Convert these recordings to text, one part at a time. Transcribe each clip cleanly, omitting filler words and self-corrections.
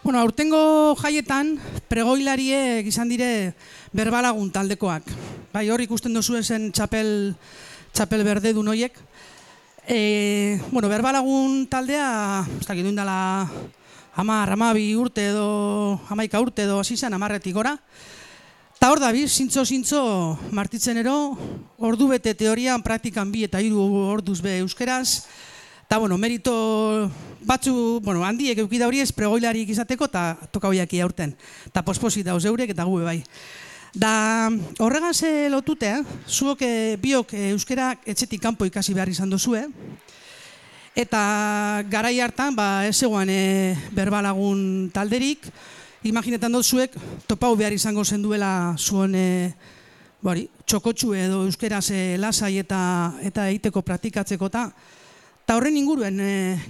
Bueno, aurtengo jaietan, pregoilariek izan dire berbalagun taldekoak. Bai, hor ikusten dozu esen txapel berde du noiek. Bueno, berbalagun taldea, ez dakit duindala 10, 12 urte edo 11 urte edo hasi zen 10-etik gora. Ta hor dabiz, zintzo martitzenero, ordu bete teorian, praktikan 2 eta 3 orduz be euskeraz. Ta, bueno, merito batzu, bueno, handiek eukida hori ez pregoilarik izateko eta toka hoiak aurten. Ta posposit dauz eurek eta gube bai. Da horregaz lotute, zuok biok euskera etxetik kanpo ikasi behar izan dozue. Eta garai hartan, ez zegoan berbalagun talderik, imaginetan dozuek topau behar izango zenduela zuen txokotxu edo euskeraz lasai eta egiteko praktikatzeko eta horren inguruen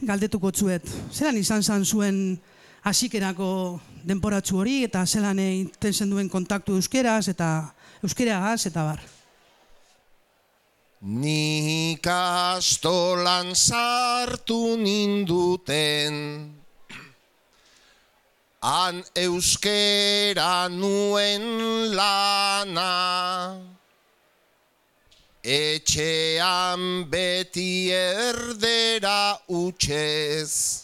galdetuko tzuet. Zelan izan zuen hasikerako denporatzu hori eta zelan intentzen duen kontaktu euskeraz eta euskeragaz eta bar? Nik astolan sartu ninduten, han euskera nuen lana, etxean beti erdera utxez,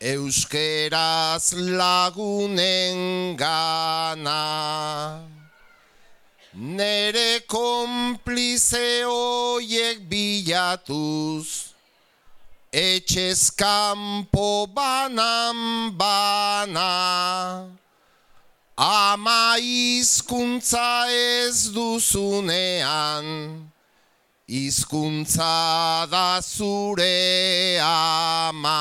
euskeraz lagunen gana. Nere konplize hoiek bilatuz, etxez kanpo banan bana, ama hizkuntza ez duzunean, hizkuntza da zure ama.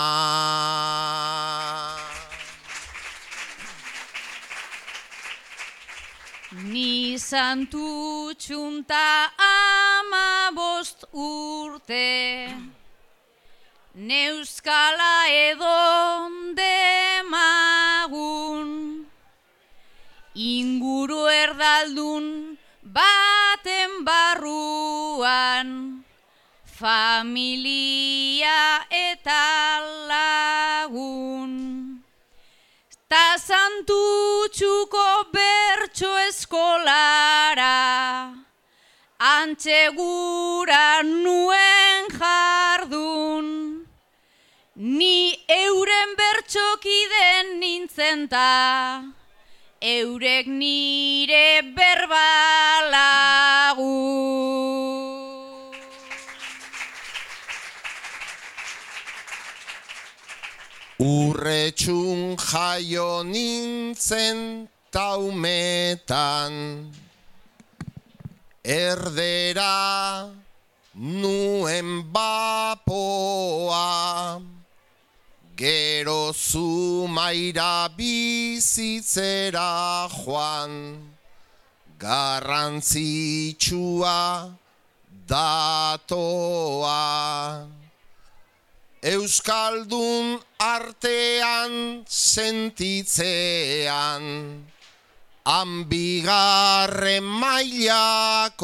Ni santu txunta 15 urte, neuskala edon demagun, inguru erdaldun baten barruan, familia eta lagun. Ta santutxuko bertso eskolara, antzegura nuen jardun, ni euren bertxokiden nintzen ta, eurek nire berbalagun. Urretxun jaio nintzen taumetan, erdera nuen bapoa, gero Zumaira bizitzera joan, garrantzitsua datoa. Euskaldun artean sentitzean, han 2. mailakoa,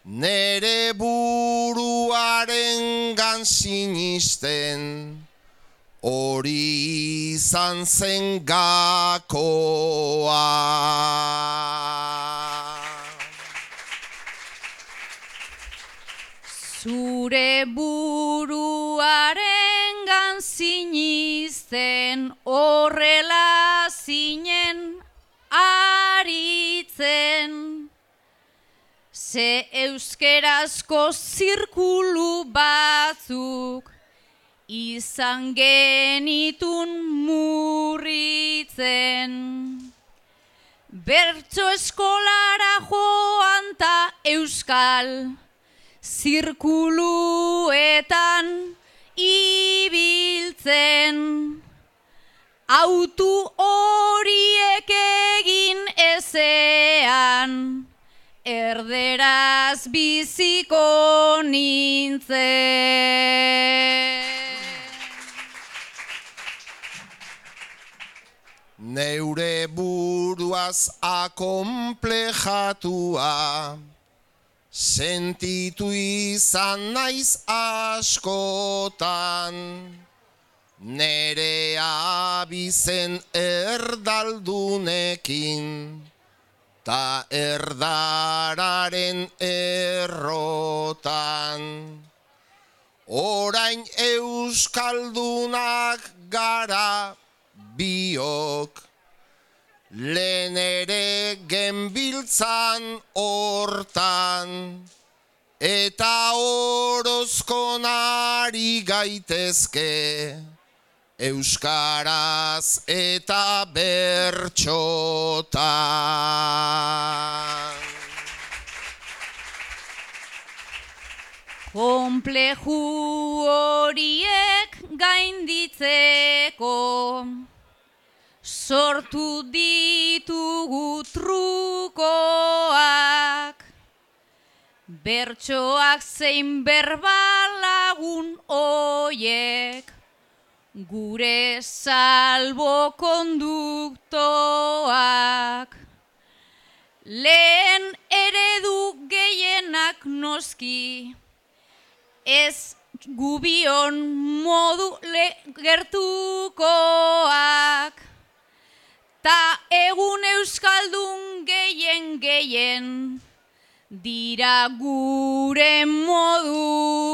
nere buruarengan sinisten, hori izan zen gakoa. Zure buruarengan sinisten, horrela zinen aritzen, ze euskerazko zirkulu batzuk izan genitun murritzen. Bertso eskolara joan ta euskal zirkuluetan ibiltzen, autu horiek egin ezean, erderaz biziko nintzen. Neure buruaz akonplejatua, sentitu izan naiz askotan, nere abizen erdaldunekin, ta erdararen errotan. Orain euskaldunak gara biok, lehen ere genbiltzan hortan, eta orozkonari gaitezke, euskaraz eta bertxotan. Konpleju horiek gainditzeko sortu ditugu trukoak, bertsoak zein berbalagun hoiek, gure salbokonduktoak. Lehen eredu gehienak noski, ez gubion modu gertukoak, ta egun euskaldun gehien dira gure modukoak.